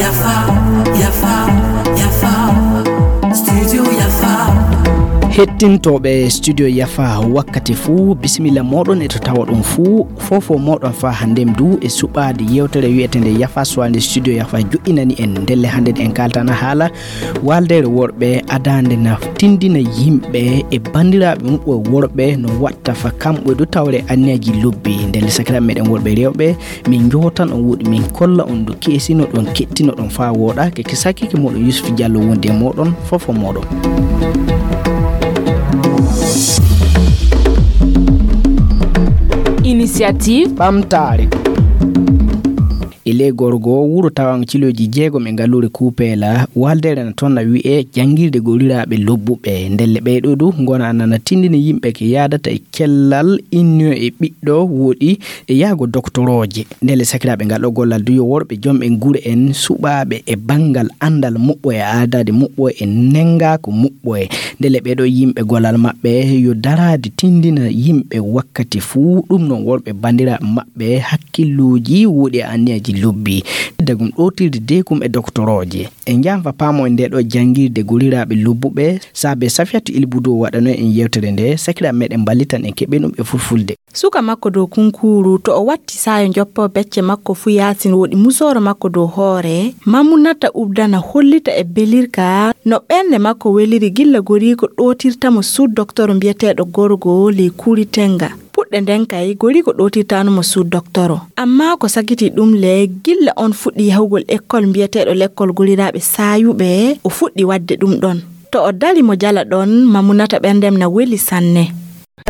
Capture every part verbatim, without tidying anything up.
Yafa, yafa, yafa. Studio Yafa. Hettintooɓe Studio Yafa wakkati fuu, bisimilla mooɗon e to tawoɗon fuu. Fofo mooɗon faa hannden du e suɓaade yewtere wi'eteende Yafa Suwalnde Studio Yafa joƴƴinani en. Ndelle hannden en kaaltana haala waaldeere worɓe adaande na tindina yimɓe e banndiraaɓe muɓɓe worɓe no watta fa kamɓe du tawre anniyaji lobbi. Ndelle sakiraaɓe meɗen worɓe rewɓe, min jootan on woɗi, min kolla on du keesinoɗon, kettinoɗon faa wooɗa. Ke, ke sakike mooɗon Yusuf Diallo wondi e mooɗon, fofo mooɗon. Initiative. Ɓamtaare. E ley Gorgo, wuro tawaango kilooji jeegom e ngalluure Kuupeela, waaldeere na toon na wi'ee janngirde golliraaɓe lobbuɓe. Ndelle ɓee ɗoo du ngona nana tindini yimɓe ke yaadata e cellal, inniyo e ɓiɗɗo woɗi e yahgo doktorooje. Ndelle sakiraaɓe ngal ɗoo gollal du yo worɓe jom en gure en suɓaaɓe e banngal anndal muɓɓo e aadaade muɓɓo e nenngaaku muɓɓo e. Ndelle ɓee ɗoo yimɓe gollal maɓɓe yo daraade tindina yimɓe wakkati fuu, ɗum noon worɓe banndiraaɓe maɓɓe hakkilluuji woɗi e anniyaji lobbi. Dagum ɗootirde deekum e doktorooje. En njahan fa paamoy ndee ɗoo janngirde golliraaɓe lobbuɓe, saabe Safiyatu Ilbudu waɗano en yewtere nde, sakiraaɓe meɗen mballitan en keɓen ɗum e fulfulde. Suka makko dow kunkuuru, to o watti saayo joppo becce makko fuu yaasin woɗi musooro makko dow hoore, Mamunata Ubdana hollita e belirka no ɓernde makko weliri gilla goriiko ɗootirta mo suud doktoro mbiyeteeɗo Gorgo ley Kuuri Tenga. Puɗɗe nden kay, goriiko ɗootirtaano mo suud doktoro. Ammaa ko sakitii ɗum le, gilla on fuɗɗi yahugol lekkol mbiyeteeɗo lekkol golliraaɓe saayuɓe, o fuɗɗi waɗde ɗum ɗon. To o dari mo jala ɗon, Mamunata ɓerndem na weli sanne.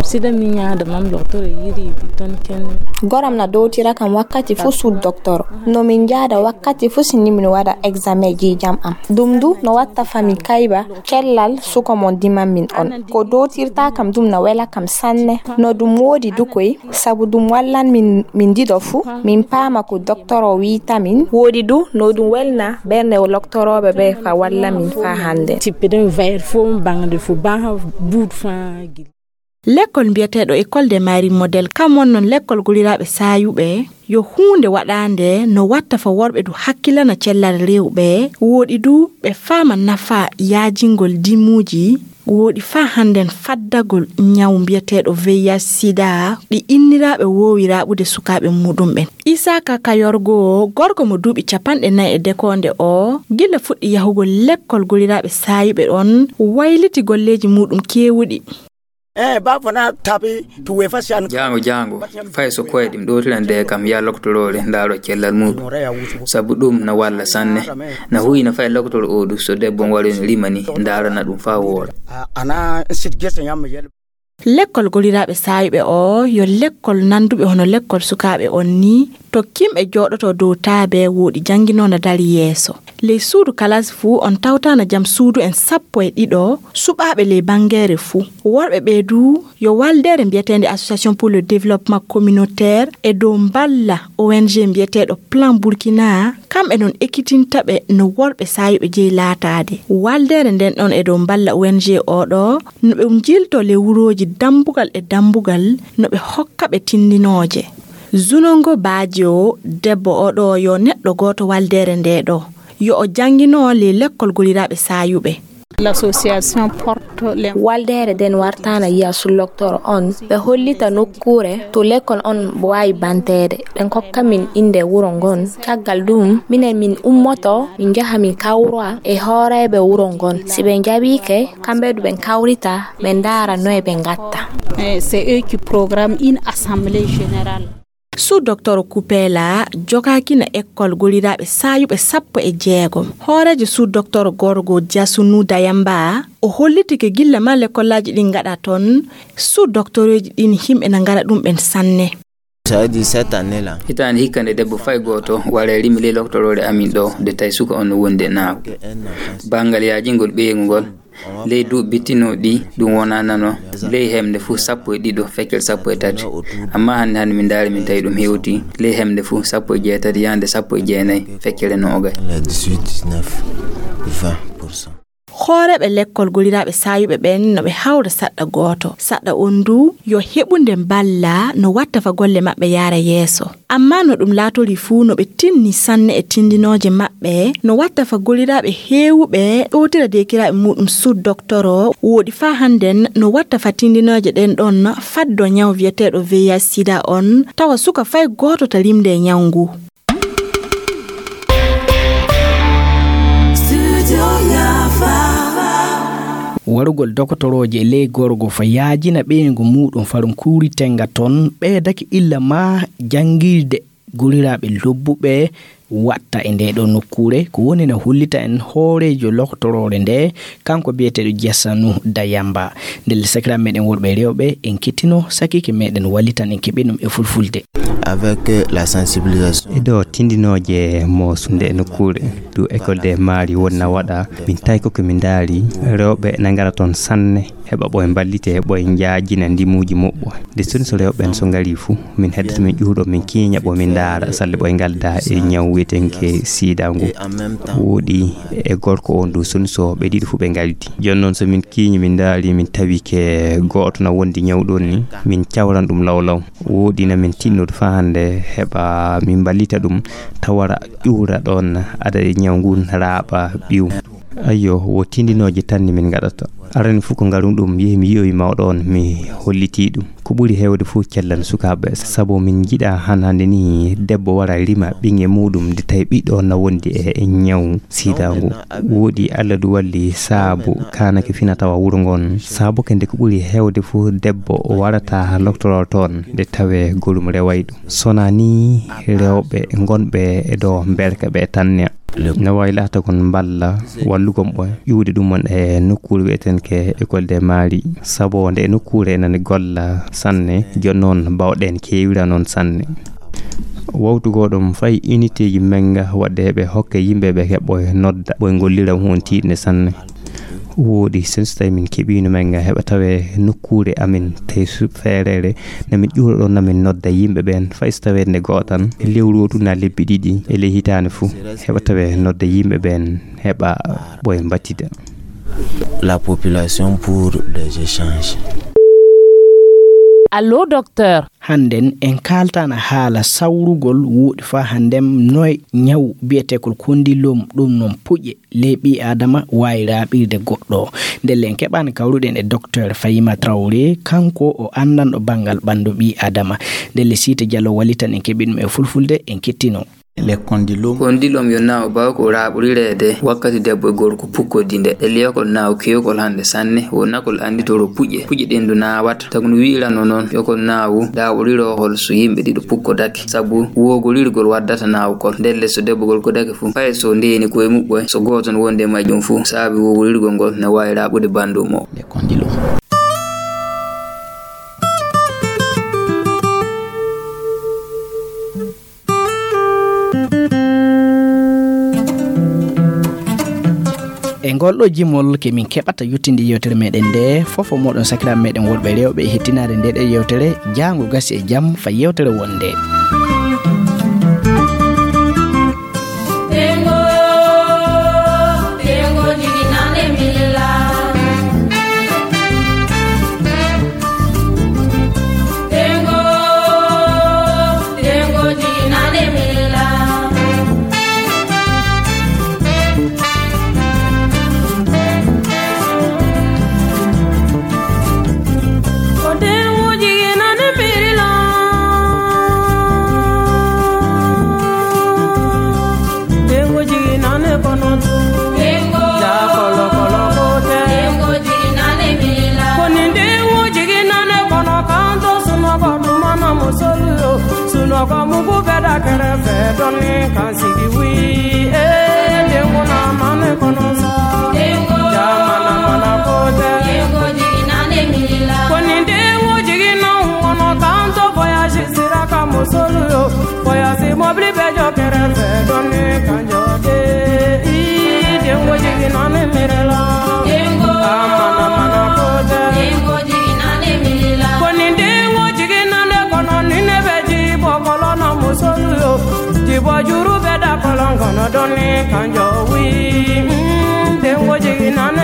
Sida mi ñaada mam doktoro yiri di ton ken. Goram na dowtira kam wakkati fuu suud doktoro. No min njaada wakkati fuu si ni min waɗa examen jiijam am. Ɗum du no watta fa mi kayba cellal suka mon diman min on. Ko dowtirta kam ɗum na wela kam sanne. No ɗum woodi du koy, sabu ɗum wallan min, min ɗiɗo fuu, min paama ko doktoro wi'ta min. Woodi du no ɗum welna ɓernde loktorooɓe ɓe fa walla min fa hannde. Tippe ɗum vayre fuu, baŋde fuu, baŋ buuɗ fa gil. Lekkol mbiyeteeɗo École des Marines Modèle, kam wonnoo lekkol golliraaɓe saayuɓe, yo huunde waɗaande no watta fa worɓe du hakkilana cellal rewɓe, woɗi du ɓe faama nafaa yaajingol dimuuji, woɗi faa hannden faddagol ñaw mbiyeteeɗo V I H sida, ɗi inniraaɓe woowi raɓude sukaaɓe muuɗum ɓen. Isaaka Kayorgo, gorko mo duuɓi capanɗe nayi e dekoonde o, gila fuɗɗi yahugol lekkol golliraaɓe saayuɓe on, wayliti golleeji muuɗum keewuɗi. Eh, ba fana tabi tu we fasiyan. Jaango, jaango, fay so koye ɗum ɗowtirande kam, yaa loktoroore ndaaro cellal muuɗum. Sabu ɗum na walla sanne. Na huyna fay loktoro o du, so debbo on wari no rimani, ndaarana ɗum faa wooɗa. A, ana sit gese ñamma yel. Lekkol golliraaɓe saayuɓe o, yo lekkol nannduɓe hono lekkol sukaaɓe on ni, to kimɓe jooɗoto dow taabe woɗi jannginoo na dari yeeso. Ley suudu kalaasi fuu, on tawta na jam suudu en sappo e ɗiɗo, suɓaaɓe ley banngeere fuu. Worɓe ɓee du, yo waldeere mbiyeteende Association pour le Développement Communautaire e dow mballa O N G mbiyeteeɗo Plan Burkina, kamɓe non ekkitinta ɓe no worɓe saayuɓe jeyi laataade. Waldeere nden ɗon e dow mballa O N G o ɗo, no ɓe njilto ley wurooji dambugal e dambugal, no ɓe hokka ɓe tindinooje. Zunongo Badio, debbo o ɗo, yo neɗɗo gooto waldeere nde ɗo. Yo o janngino ley lekkol golliraaɓe saayuɓe. L'association porte les. Waldeere nden wartana yiya sulloktoro on. Ɓe hollita nokkuure to lekkol on waawi banteede. Ɓe kokka min innde wuro ngon. Caggal ɗum, minen min ummoto, min njaha min kawra e hooreeɓe wuro ngon. Si ɓe njaɓiike, kamɓe du ɓe kawrita, ɓe ndaara noye ɓe ngatta. Eh, c'est eux qui programment une assemblée générale. Sous Docteur Kupela jogaakina ekkol golliraaɓe saayuɓe sappo e jeegom. Hooreejo Sous Docteur Gorgo Jasunu Dayamba, o holliti ke gilla ma lekkolaaji ɗin ngaɗa ton, Sous Docteureeji ɗin himɓe na ngara ɗum ɓen sanne. Ça veut dire cette année-là. Hitaande hikka nde debbo fay gooto waray rimi ley loktoroore amin ɗo, nde tawi suka on no wondi e naako. Banngal yaajingol ɓeyngu ngol, ley duuɓi bittinooɗi ɗi, ɗum wonaa nano ley hemde fuu sappo e ɗiɗo feccere sappo e tati. Ammaa hannde, hannde min ndaari, min tawi ɗum hewti ley hemde fuu sappo e jeetati yaande sappo e jeenayi feccere noogay. Les dix-huit, dix-neuf, vingt pour cent. Hooreeɓe lekkol goliraaɓe saayuɓe ɓen no ɓe hawra saɗɗa gooto. Saɗɗa on du yo heɓunde mballa no watta fa golle maɓɓe yaara yeeso. Amma no ɗum laatorii fuu no ɓe tinni sanne e tindinooje maɓɓe, no watta fa goliraaɓe heewuɓe ɗowtira deekiraaɓe muuɗum sud doktoro, wooɗi faa hannden no watta fa tindinooje ɗen ɗon faddo ñaw wi'eteeɗo V I H sida on, tawa suka fay gooto ta limde e ñaw ngu. Warugol dokotorooje e ley gorgo fa yaajina ɓeyngu muuɗum farum kuuri tenga ton ɓeydake illa maa janngirde goliraaɓe lobbuɓe watta e ndee ɗoo nokkuure. Ko woni na hollita en hooreejo lokotoroore ndee, kanko biyeteeɗo Jasanu Dayamba. Ndelle sakiraaɓe meɗen worɓe e rewɓe, en kettino sakiike meɗen wallitan en keɓi ɗum e fulfulde. Avec la sensibilisation. E ɗo tindinooje mo sunde e nokkuure du école des maris wonna waɗa, min tawi ko ko min ndaari rewɓe na ngara toon sanne, heɓa ɓoye mballite, ɓoye njaajina ndimuuji muɓɓo. Nde soni so rewɓe ɓen so ngari fuu, min heddata min ƴuuɗo, min kiiña ɓo min ndaara salle ɓoye ngalda e ñaw wiyetenke sida ngu. Wooɗi e gorko on du soni so ɓe ɗiɗo fuu ɓe ngaldi. Jooni noon so min kiiñi min ndaari min tawi ke gooto na wondi ñaw ɗon ni, min cawran ɗum law law. Wooɗi na min tinnodu faa hannde heɓa min mballita ɗum tawara ƴuura ɗon ada e ñaw ngun raaɓa ɓiw. Ayyo, wo tindinooje tan ni min ngaɗata. Arani fuu ko ngarum ɗum, yehi mi yi'oyi mawɗo on, mi hollitii ɗum. Ko ɓuri heewde fuu cellal sukaaɓe, sabu min njiɗa han hannde ni debbo wara rima ɓiŋe muuɗum, nde tawi ɓiɗɗo on na wondi e ñaw sida ngu. Wooɗi Allah du walli saabu kaanake fina tawa wuro ngon. Saabu ke nde ko ɓuri heewde fuu debbo warata loktoroo toon, nde tawee gorum reway ɗum. Sona ni rewɓe ngonɓe e ɗo mberka ɓe tanne. No waawi laata kon mballa wallugon ɓe ƴuwde ɗum on e nokkuure wi'eten ke école des maris. Sabu nde e nokkuure enen golla sanne, jooni noon mbawɗen keewira noon sanne. Wawtugoo ɗum fay uniteeji men ga waɗde heɓe hokke yimɓe ɓe keɓɓo nodda ɓoye ngollira huun tiiɗnde sanne. Wooɗi, sen so tawi min keɓiino men ga heɓa tawe nokkuure amen, tawi su-, feereere, na min ƴuura ɗon, na min nodda yimɓe ɓeen, fay so tawee nde gootan, lewru o tun na lebbi ɗiɗi, e ley hitaande fuu, heɓa tawe nodda yimɓe ɓeen, heɓa ɓoye mbattida. La population pour des échanges. Allô, docteur. Hannden en kaaltana haala sawrugol wuuɗi faa hannden noy ñaw biyeteekol kondilom ɗum non puƴe ley ɓii aadama waawi raaɓirde goɗɗo. Ndelle en keɓaani kawruɗen e docteur Fahima Traoré, kanko o anndanɗo banngal ɓanndu ɓii aadama. Ndelle Siita Jallo wallitan en keɓi ɗum e fulfulde, en kettino. Les condylome. Condylome yo naaw baaw ko raaɓorireede wakkati debbo e gorko pukkodii nde. E liyokol naaw keewkol hannde sanne, wo nakol annditoro puƴe. Puƴe ɗen du naawata. Tagu no wi'irano noon, yo kol naawu daaɓoriroo hol so yimɓe ɗiɗo pukkodake. Sabu woogorirgol waddata naawkol. Ndelle so debbo gorko dake fuu, fay so ndeeni koye muɓɓoy, so gooto no wondi e majjum fuu, saabi woogorirgol ngol no waawi raaɓude banndum o. Les condylome. E ngol ɗo jimol ke min keɓata yottinde yewtere meɗen nde, fofo moɗon sakiraaɓe meɗen worɓe e rewɓe e hettinaade nde ɗo yewtere, jaango gasi e jam, fa yewtere wonde. Dengo jigi nane kono tu. Dengo. Ja kolo kolo kote. Dengo jigi nane mila. Koni dengo jigi nane kono kanto sunoko dumana musolu yo. Sunoko mugu beda kere fe doni kan sigi wi. Eh, dengo na mane kono sa. Dengo. Ja mana mana kote. Dengo jigi nane mila. Koni dengo jigi na kono kanto voyage sira ka musolu yo. Voyage mobili be jɔ kɛrɛfɛ dɔɔni ka jɔ de. Ii, denko jigin na ne miiri la. Denko. A mana mana ko tɛ. Denko jigin na ne miiri la. Ko nin denko jigin na ne kɔnɔ, ni ne bɛ ji bɔ kɔlɔn na muso yo. Ji bɔ juru bɛ da kɔlɔn kɔnɔ dɔɔni ka jɔ wi. Mm, denko jigin na ne